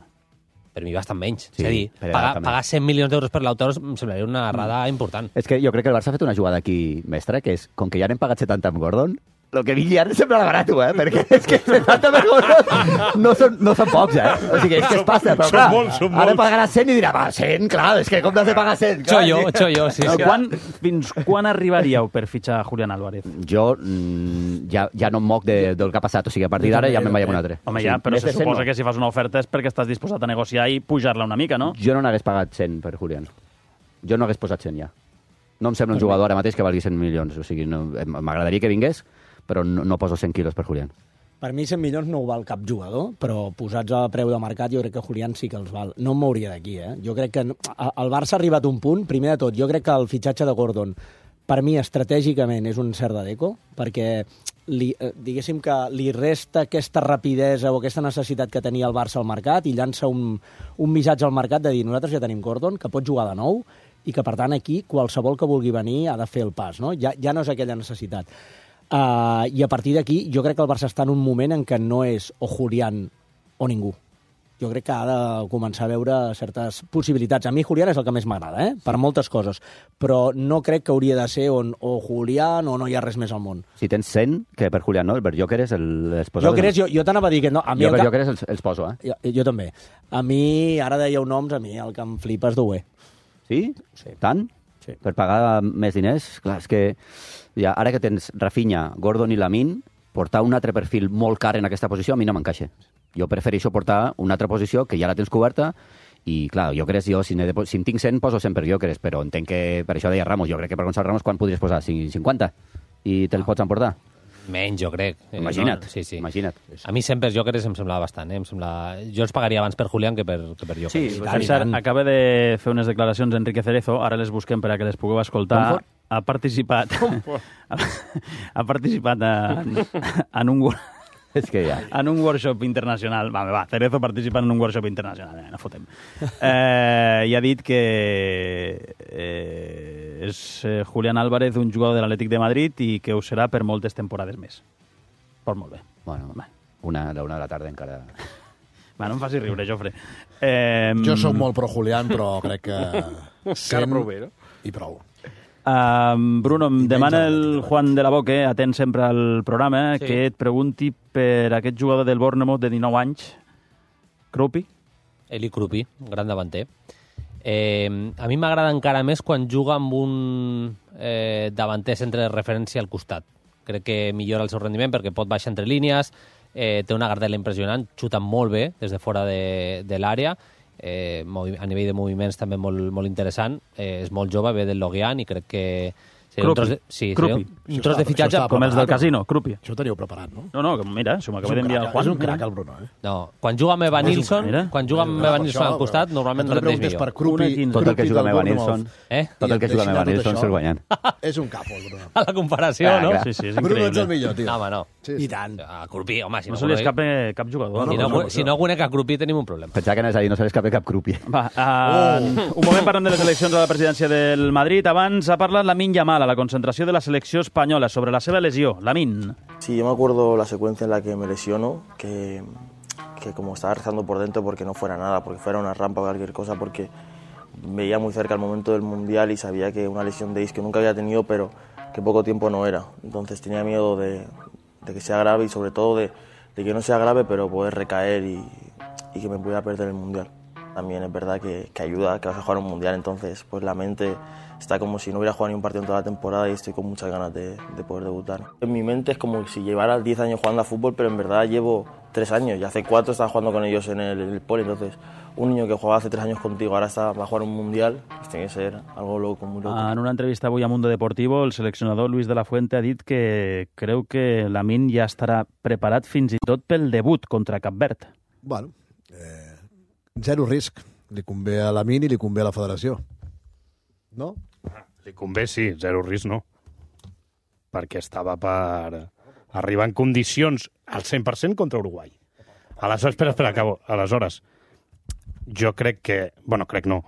per mi bastant menys. Sí, és a dir, per pagar, també. pagar cent milions d'euros per Lautaro em semblaria una errada important. És que jo crec que el Barça ha fet una jugada aquí mestra, que és, com que ja n'hem pagat setanta amb Gordon, el que vingui ara sembla barat, eh? Perquè és que setanta per Gordon no són, no són pocs, eh? O sigui, és que es passa. Però, Són clar, molts, són ara molts. pagarà cent i dirà, va, cent, clar, és que com t'has de pagar cent? Clar, Xollo, sí. xollo, sí. No, sí. quan, fins quan arribaríeu per fitxar Julián Álvarez? Jo mm, ja, ja no em moc de, del que ha passat, o sigui, a partir d'ara ja me'n vaig a un altre. Home, O sigui, ja, però més se de cent suposa no. que si fas una oferta és perquè estàs disposat a negociar i pujar-la una mica, no? Jo no n'hagués pagat cent per Julián. Jo no hagués posat cent ja. No em sembla un jugador ara mateix que valgui cent milions. O sigui, no, m'agradaria que vingués, però no, no poso cent quilos per Julián. Per mi cent milions no ho val cap jugador, però posats a preu de mercat jo crec que Julián sí que els val. No em mouria d'aquí, eh? Jo crec que no- a- el Barça ha arribat a un punt, primer de tot, jo crec que el fitxatge de Gordon per mi estratègicament és un cert de deco, perquè li, eh, diguéssim que li resta aquesta rapidesa o aquesta necessitat que tenia el Barça al mercat i llança un, un missatge al mercat de dir nosaltres ja tenim Gordon, que pot jugar de nou i que, per tant, aquí qualsevol que vulgui venir ha de fer el pas, no? Ja, ja no és aquella necessitat. Uh, I a partir d'aquí jo crec que el Barça està en un moment en què no és o Julián o ningú. Jo crec que ha de començar a veure certes possibilitats. A mi Julián és el que més m'agrada, eh? Per moltes coses. Però no crec que hauria de ser on o Julián o no hi ha res més al món. Si tens cent, que per Julián no, el Berjóqueres el, els Jo, posava... crec, jo, jo t'anava a dir que no. A mi Jo el que- Berjóqueres els, els poso, eh? Jo, jo també. A mi, ara dèieu noms, a mi el que em flipa és Doué. Sí? Sí. Tant? Sí. Per pagar més diners? Clar, és que ja, ara que tens Rafinha, Gordon i Lamine, portar un altre perfil molt car en aquesta posició a mi no m'encaixa. Jo prefereixo portar una altra posició que ja la tens coberta i, clar, jo crec, jo, si, de, si en tinc cent, poso cent per Jóqueres, però entenc que, per això deia Ramos, jo crec que per Gonçalo Ramos, quan podries posar? cinquanta? I te'l pots emportar? Menys, jo crec. Eh, Imagina't, no? Sí, sí. imagina't. A mi sempre Jóqueres em semblava bastant. Eh? Em sembla... Jo els pagaria abans per Julián que per, que per Jóqueres. Sí, per cert, acaba de fer unes declaracions Enrique Cerezo, ara les busquem per a que les pugueu escoltar. Comfort? Ha participat... ha participat en, en un... wor- És que ja... en un workshop internacional. Va, va, Cerezo participa en un workshop internacional, eh, no fotem. Eh, I ha dit que eh, és eh, Julián Álvarez un jugador de l'Atlètic de Madrid i que ho serà per moltes temporades més. Pues molt bé. Bueno, una, a la una de la tarda encara... Va, no em facis riure, Jofre. Eh, Jo sóc molt pro Julián, però crec que... Encara prou bé, no? I prou. Uh, Bruno, em demana el Juan de la Boque, atent sempre al programa, Sí. que et pregunti per aquest jugador del Bournemouth de dinou anys, Krupi. Eli Krupi, un gran davanter. Eh, a mi m'agrada encara més quan juga amb un eh, davanter centre de referència al costat. Crec que millora el seu rendiment perquè pot baixar entre línies, eh, té una gardela impressionant, xuta molt bé des de fora de, de l'àrea, eh, movi- a nivell de moviments també molt, molt interessant, eh, és molt jove, ve del Lorient i crec que seria un tros de, sí, seria un, un tros de fitxatge com els del casino, Krupi. Això ho teníeu preparat, no? No, no, que mira, se m'acaba És un d'enviar el crac, Juan. és un crac, mira. el Bruno, eh? No, quan juga amb Evan És un Nilsson, mira. quan juga amb Evan Nilsson al costat, normalment rendeix millor. per Krupi, Tot el que juga amb Evan Nilsson, Eh? tot el que juga amb Evan Nilsson se'l guanyen. És un capo, el Bruno. A la comparació, Ah, no? clar. Sí, sí, és Bruno, ets el increïble. millor, tio. No, home, no. Sí, I sí. tant. A Krupi, home, si No no, se li conec- escape cap jugador. si no, no, no, si no conec a Krupi tenim un problema. Pensava que anaves a dir, no se li escape cap Krupi. Va, uh, un moment parlem de les eleccions a la presidència del Madrid. Abans ha parlat Lamine Yamal a la concentració de la selecció espanyola sobre la seva lesió. Lamine. Sí, yo me acuerdo la secuencia en la que me lesiono, que, que como estaba rezando por dentro porque no fuera nada, porque fuera una rampa o cualquier cosa, porque veía muy cerca el momento del Mundial y sabía que una lesión de isquio nunca había tenido, pero que poco tiempo no era. Entonces tenía miedo de, de que sea grave y sobre todo de, de que no sea grave, pero poder recaer y, y que me pudiera perder el Mundial. también es verdad que, que ayuda, que vas a jugar un mundial, entonces pues la mente está como si no hubiera jugado ni un partido en toda la temporada y estoy con muchas ganas de, de poder debutar. En mi mente es como si llevara diez años jugando a fútbol, pero en verdad llevo tres años y hace cuatro estaba jugando con ellos en el, en el poli, entonces un niño que jugaba hace tres años contigo ahora está, va a jugar un mundial, pues tiene que ser algo loco, muy loco. En una entrevista avui a Mundo Deportivo, el seleccionador Luis de la Fuente ha dit que creu que Lamine ja estarà preparat fins i tot pel debut contra Cap Verd. Bueno, eh, zero risc. Li convé a Lamine i li convé a la federació. No? Li convé, sí, zero risc no. Perquè estava per arribar en condicions al cent per cent contra Uruguai. Aleshores, espera, espera, acabo. Aleshores, jo crec que... Bueno, crec no.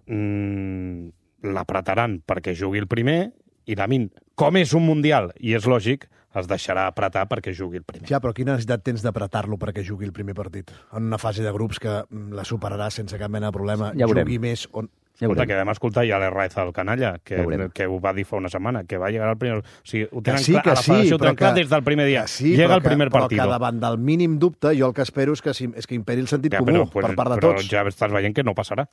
Mm, l'apretaran perquè jugui el primer i Lamine, com és un mundial i és lògic, es deixarà apretar perquè jugui el primer. Ja, però quina necessitat tens d'apretar-lo perquè jugui el primer partit? En una fase de grups que la superarà sense cap mena de problema, ja jugui més... On... Ja escolta, que vam escoltar ja l'Herraiz al canalla, que, ja que ho va dir fa una setmana, que va llegar al primer... O sigui, ho tenen sí, clar, a la federació ho tenen clar des del primer dia. Sí, Llega el primer que, partit. Però que davant del mínim dubte, jo el que espero és que, és que imperi el sentit ja, comú però, pues, per part de però tots. Ja estàs veient que no passarà.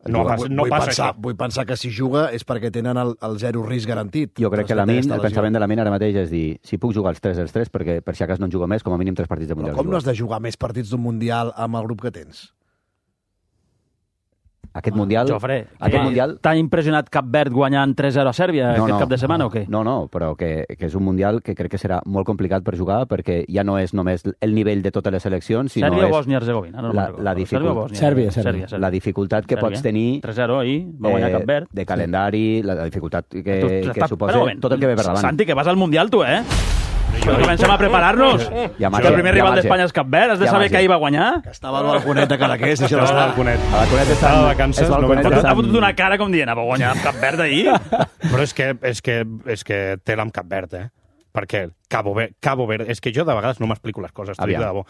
No, vull, pas, no vull passa pensar, això. Vull pensar que si juga és perquè tenen el, el zero risc garantit. Jo crec que Lamine, el pensament de Lamine ara mateix és dir, si puc jugar els tres dels tres, perquè per si acas no en jugo més, com a mínim tres partits de Mundial. Però com no has de jugar més partits d'un Mundial amb el grup que tens? Aquest Mundial... Jofre, aquest mundial... t'ha impressionat Cap Verd guanyant tres zero a Sèrbia no, aquest no, cap de setmana o què? No, no, però que, que és un Mundial que crec que serà molt complicat per jugar perquè ja no és només el nivell de totes les seleccions, sinó Sèrbia és... o Bòsnia-Herzegovina? No la, la, dificult... Sèrbia, Sèrbia. la dificultat que Sèrbia. pots tenir... tres zero ahir, va guanyar eh, Cap Verd. De calendari, la, la dificultat que, tu, que està... suposa tot el que ve per davant. Santi, que vas al Mundial, tu, eh? Però comencem a preparar-nos. Ja, que el primer rival d'Espanya és Cap Verd, has de ja, saber que ahir va guanyar. Que estava al balconet de Cadaqués. Estava al balconet. A balconet estava de vacances. No ha fotut una cara com dient, va guanyar Cap Verd ahir. Però és que, és que, és que tela amb Cap Verd, eh? Perquè Cabo Verde, Cabo Verde... És que jo de vegades no m'explico les coses, t'ho dic de debò.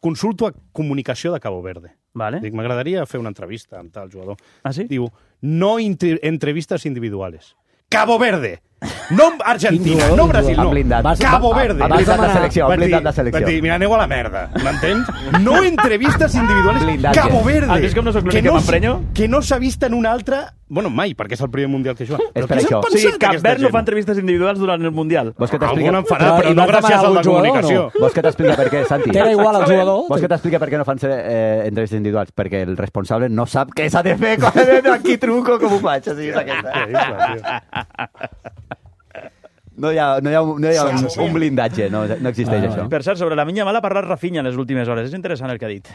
Consulto a comunicació de Cabo Verde. Vale. Dic, m'agradaria fer una entrevista amb tal jugador. Ah, sí? Diu, no entrevistes individuales. Cabo Verde! No Argentina, no Brasil, no. Cabo Verde. Ha blindat de selecció, ha blindat de selecció. Va dir, mira, aneu a la merda, m'entens? No entrevistes individuales. Blindatge. Cabo Verde. Has vist com no soc l'únic que m'emprenyo? Que no s'ha vist en un altre... Bueno, mai, perquè és el primer Mundial que juga. És per això. O sigui, Cap Verd no fa entrevistes individuals durant el Mundial. Algun en farà, però no gràcies a la comunicació. Vols que t'explica per què, Santi? T'era igual al jugador? Vols que t'explica per què no fan eh, entrevistes individuals? Perquè el responsable no sap què s'ha de fer quan aquí truco, com ho faig. O sigui, és aquesta. No hi ha, no hi ha, no hi ha un, un blindatge, no, no existeix ah, això. Per cert, sobre la Lamine Yamal ha parlat Rafinha en les últimes hores. És interessant el que ha dit.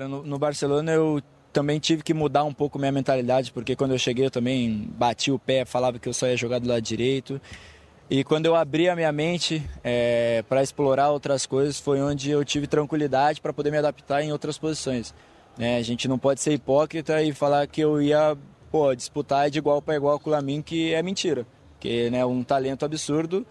No, no Barcelona eu também tive que mudar um pouco minha mentalidade, porque quando eu cheguei eu também bati o pé, falava que eu só ia jogar do lado direito. E quando eu abri a minha mente é, para explorar outras coisas, foi onde eu tive tranquilidade para poder me adaptar em outras posições. É, a gente não pode ser hipócrita e falar que eu ia pô, disputar de igual para igual com o Lamine, que é mentira. Que é né, um talento absurdo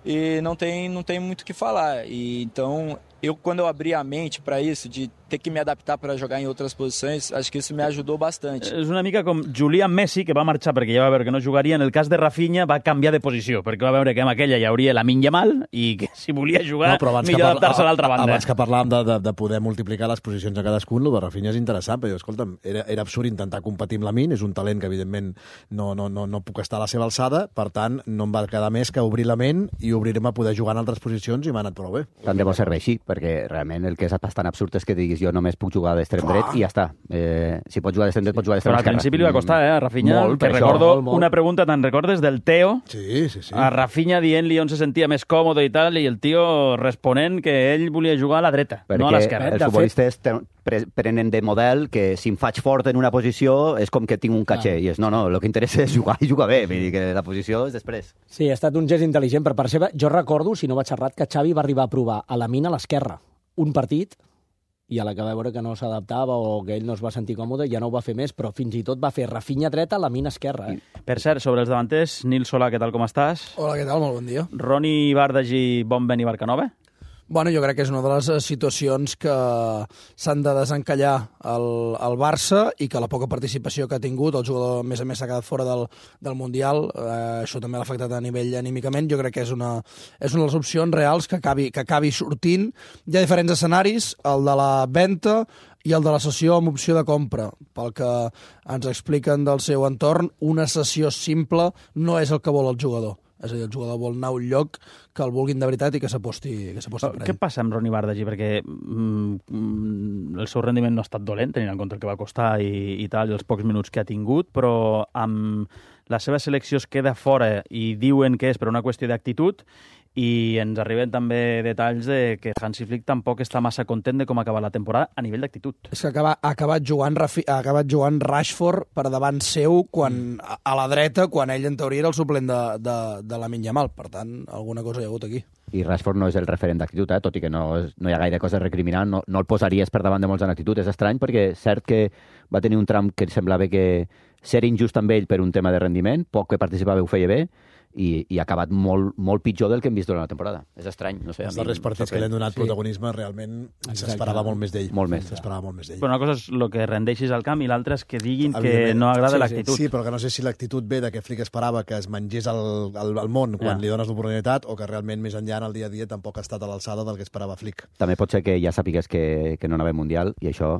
e não tem, não tem muito o que falar. E, então, eu quando eu abri a mente para isso, de ter que me adaptar para jogar em outras posições, acho que isso me ajudou bastante. És una mica com Julián Messi, que va marxar perquè ja va veure que no jugaria. En el cas de Rafinha va canviar de posició, perquè va veure que amb aquella hi hauria Lamine Yamal i que si volia jugar, no, millor adaptar-se a l'altra banda. Abans que parlàvem de, de, de poder multiplicar les posicions a cadascun, el de Rafinha és interessant, però escolta'm, era, era absurd intentar competir amb Lamine, és un talent que evidentment no, no, no, no puc estar a la seva alçada, per tant, no em va quedar més que obrir la ment i obrir-me a poder jugar en altres posicions i m'ha anat prou bé. Tant de bo serveixi, perquè realment el que és bastant absurd és que diguis jo només puc jugar d'extrem dret i ja està. Eh, si pots jugar d'extrem dret, pots jugar d'extrem esquerra. Però al principi li va costar, eh, a Rafinha. Molt, que recordo molt, molt. Una pregunta, te'n recordes, del Teo? Sí, sí, sí. A Rafinha dient-li on se sentia més còmode i tal, i el tio responent que ell volia jugar a la dreta, perquè no a l'esquerra. Els futbolistes prenen de model que si em faig fort en una posició és com que tinc un caché, ah. i és no, no, el que interessa és jugar i jugar bé, vull dir que la posició és després. Sí, ha estat un gest intel·ligent per part seva. Jo recordo, si no vaig errat, que Xavi va arribar a provar a Lamine a l'esquerra un partit i a la que va veure que no s'adaptava o que ell no es va sentir còmode, ja no ho va fer més, però fins i tot va fer Rafinha dreta, Lamine esquerra. Eh? Per cert, sobre els davanters, Nil Solà, què tal, com estàs? Hola, què tal? Molt bon dia. Roni Bardagi, Bonben i Barcanova? Bueno, jo crec que és una de les situacions que s'han de desencallar el, el Barça i que la poca participació que ha tingut, el jugador a més a més s'ha quedat fora del, del Mundial, eh, això també l'ha afectat a nivell anímicament, jo crec que és una, és una de les opcions reals que acabi, que acabi sortint. Hi ha diferents escenaris, el de la venda, i el de la cessió amb opció de compra. Pel que ens expliquen del seu entorn, una cessió simple no és el que vol el jugador. És a dir, el jugador vol anar a un lloc que el vulguin de veritat i que s'aposti per ell. Què passa amb Ronny Bardagi? Perquè mm, el seu rendiment no ha estat dolent, tenint en compte el que va costar i, i tal, i els pocs minuts que ha tingut, però amb la seva selecció es queda fora i diuen que és per una qüestió d'actitud, i ens arriben també detalls de que Hansi Flick tampoc està massa content de com acaba la temporada a nivell d'actitud. És que acaba, ha, acabat jugant, Rafi, ha acabat jugant Rashford per davant seu quan, mm. a la dreta, quan ell en teoria era el suplent de, de, de Lamine Yamal. Per tant, alguna cosa hi ha hagut aquí. I Rashford no és el referent d'actitud, eh? Tot i que no, no hi ha gaire cosa a recriminar, no, no el posaries per davant de molts en actitud. És estrany perquè cert que va tenir un tram que semblava que ser injust amb ell per un tema de rendiment, poc que participava ho feia bé, i, i ha acabat molt, molt pitjor del que hem vist durant la temporada. És estrany, no sé. Els darrers partits que li han donat sí. protagonisme realment s'esperava molt més d'ell. Molt més. S'esperava molt més d'ell. Però una cosa és el que rendeixis al camp i l'altra és que diguin que no agrada sí, l'actitud. Sí, sí, però que no sé si l'actitud ve de que Flick esperava que es mengés el, el, el món quan ja. li dones l'oportunitat o que realment més enllà en el dia a dia tampoc ha estat a l'alçada del que esperava Flick. També pot ser que ja sàpigues que, que no anava Mundial i això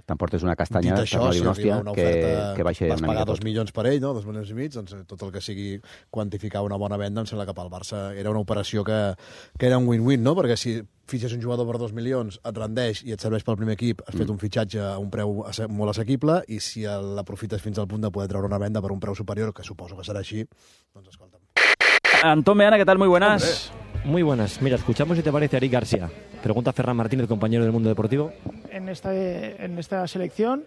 t'emportes una castanya, dit això, si una hòstia, una que, oferta, que baixa vas una pagar mica dos tot. milions per ell, no? dos milions i mig, doncs tot el que sigui quantificar una bona venda, em sembla que pel Barça era una operació que, que era un win-win, no? Perquè si fitxes un jugador per dos milions, et rendeix i et serveix pel primer equip, has mm. fet un fitxatge a un preu molt assequible, i si l'aprofites fins al punt de poder treure una venda per un preu superior, que suposo que serà així, doncs escolta'm. Antón Meana, ¿qué tal? Muy buenas. Hombre. Muy buenas. Mira, escuchamos si te parece a Eric García. Pregunta a Ferran Martínez, compañero del Mundo Deportivo. En esta, en esta selección,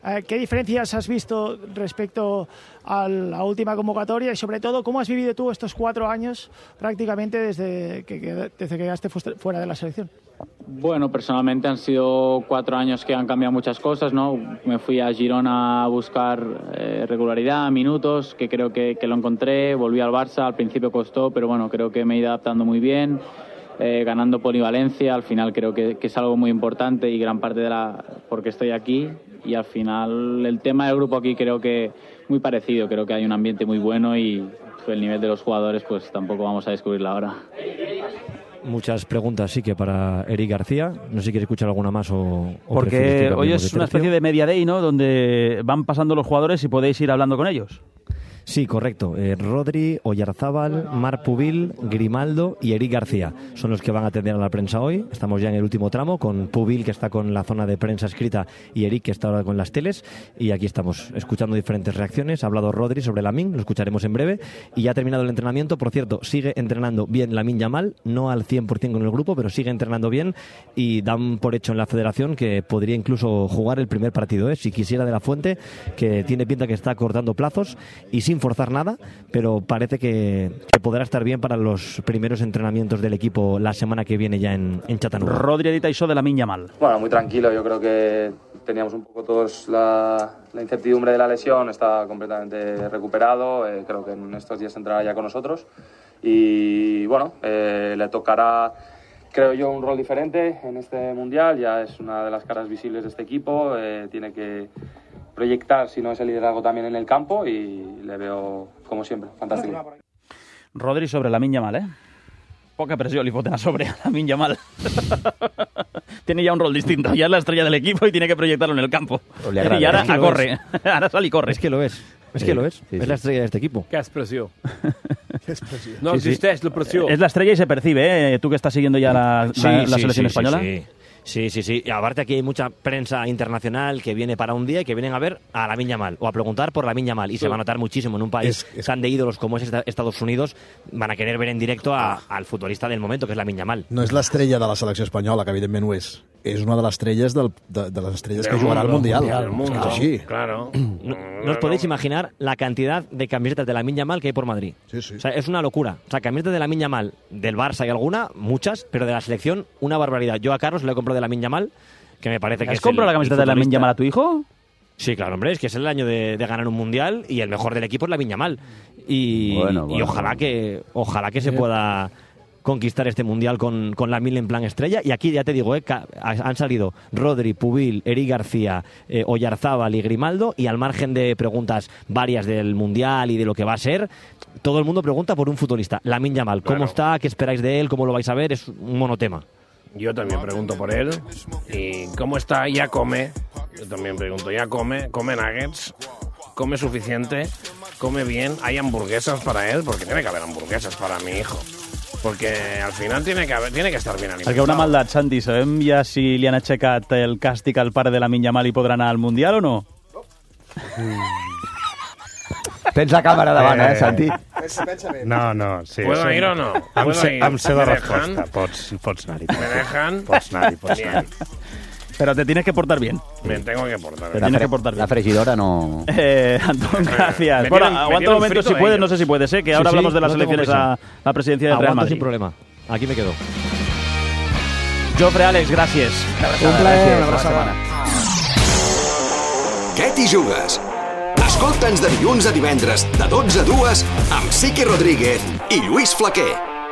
eh, ¿qué diferencias has visto respecto a la última convocatoria y sobre todo cómo has vivido tú estos cuatro años prácticamente desde que, desde que quedaste fuera de la selección? Bueno, personalmente han sido cuatro años que han cambiado muchas cosas, ¿no? Me fui a Girona a buscar eh, regularidad, minutos, que creo que, que lo encontré. Volví al Barça, al principio costó, pero bueno, creo que me he ido adaptando muy bien, eh, ganando polivalencia. Al final creo que, que es algo muy importante y gran parte de la... porque estoy aquí. Y al final el tema del grupo aquí creo que muy parecido. Creo que hay un ambiente muy bueno y el nivel de los jugadores pues tampoco vamos a descubrirlo ahora. Muchas preguntas sí que para Eric García. No sé si quiere escuchar alguna más o... o Porque hoy es una especie de media day, ¿no? Donde van pasando los jugadores y podéis ir hablando con ellos. Sí, correcto. Eh, Rodri, Oyarzábal, Marc Pubil, Grimaldo y Eric García son los que van a atender a la prensa hoy. Estamos ya en el último tramo con Pubil, que está con la zona de prensa escrita, y Eric, que está ahora con las teles. Y aquí estamos escuchando diferentes reacciones. Ha hablado Rodri sobre Lamine, lo escucharemos en breve. Y ya ha terminado el entrenamiento. Por cierto, sigue entrenando bien Lamine Yamal, no al cien por ciento con el grupo, pero sigue entrenando bien. Y dan por hecho en la federación que podría incluso jugar el primer partido, ¿eh? Si quisiera De La Fuente, que tiene pinta que está cortando plazos y sin forzar nada, pero parece que, que podrá estar bien para los primeros entrenamientos del equipo la semana que viene ya en, en Chattanooga. Rodri edita iso de Lamine Yamal. Bueno, muy tranquilo, yo creo que teníamos un poco todos la, la incertidumbre de la lesión, está completamente recuperado, eh, creo que en estos días entrará ya con nosotros y bueno, eh, le tocará, creo yo, un rol diferente en este Mundial, ya es una de las caras visibles de este equipo, eh, tiene que proyectar, si no ese liderazgo también en el campo, y le veo, como siempre, fantástico. Rodri sobre Lamine Yamal, ¿eh? Poca presión le foten a sobre a Lamine Yamal. Tiene ya un rol distinto, ya es la estrella del equipo y tiene que proyectarlo en el campo. Agrada, y ahora es que a corre, ahora sale y corre. Es que lo es, es que lo es, sí, es sí. la estrella de este equipo. Qué expresión. Qué expresión. No existeix la pressió. Es la estrella y se percibe, ¿eh? Tú que estás siguiendo ya la, sí, la, la sí, selección sí, española. Sí, sí. Sí, sí, sí. Y aparte aquí hay mucha prensa internacional que viene para un día y que vienen a ver a Lamine Yamal o a preguntar por Lamine Yamal. Y sí. se va a notar muchísimo en un país es, es... tan de ídolos como es Estados Unidos. Van a querer ver en directo a, ah. al futbolista del momento, que es Lamine Yamal. No és l'estrella de la selecció espanyola, que evidentment ho és. És una de les estrelles del, de, de les estrelles del que jugarà al Mundial. mundial, mundial. Es així. Claro. No, no os podéis imaginar la cantidad de camisetas de Lamine Yamal que hay por Madrid. Sí, sí. O sea, es una locura. O sea, camisetas de Lamine Yamal del Barça hay alguna, muchas, pero de la selección una barbaridad. Yo a Carlos le he comprado de Lamine Yamal, que me parece que ¿Has es comprado el, la camiseta de Lamine Yamal a tu hijo? Sí, claro, hombre, es que es el año de, de ganar un mundial y el mejor del equipo es Lamine Yamal. Y, bueno, bueno, y ojalá bueno. que ojalá que se pueda conquistar este mundial con, con Lamine en plan estrella. Y aquí ya te digo, eh, han salido Rodri, Pubil, Eric García, eh, Oyarzábal y Grimaldo, y al margen de preguntas varias del mundial y de lo que va a ser, todo el mundo pregunta por un futbolista. Lamine Yamal, ¿cómo claro. está? ¿Qué esperáis de él? ¿Cómo lo vais a ver? Es un monotema. yo también pregunto por él. ¿Y cómo está? ¿Ya come? Yo también pregunto, ¿ya come? ¿Come nuggets? ¿Come suficiente? ¿Come bien? ¿Hay hamburguesas para él? Porque tiene que haber hamburguesas para mi hijo. Porque al final tiene que, haber, tiene que estar bien alimentado. Perquè una maldat, Santi, sabem ja si li han aixecat el càstig al pare de la Yamal i podrà anar al Mundial o no? Tens la càmera davant, eh, Santi? No, no, sí. ¿Puedo sí. ir o no? Em ¿Puedo sé, ir? em sé la ¿Me resposta. dejan? Pots, pots anar-hi. ¿Me dejan? Pots anar-hi, pots Bien. anar-hi. Pero te tienes que portar bien. Me tengo que portar Te bien. tienes que portar bien. La fregidora no... Eh, Antón, gracias. Me Bueno, tienen- me aguanta tienen un momento frito si puedes, ellos. no sé si puedes, ¿eh? Que ahora Sí, sí, hablamos de las no tengo elecciones prisa. a la presidencia del Real Aguanto Madrid. sin problema. Aquí me quedo. Jofre, Àlex, gràcies. Un plaer, una abraçada. Què t'hi jugues? Escolta'ns de dilluns a divendres, de dotze a dues, amb Sique Rodríguez i Lluís Flaquer.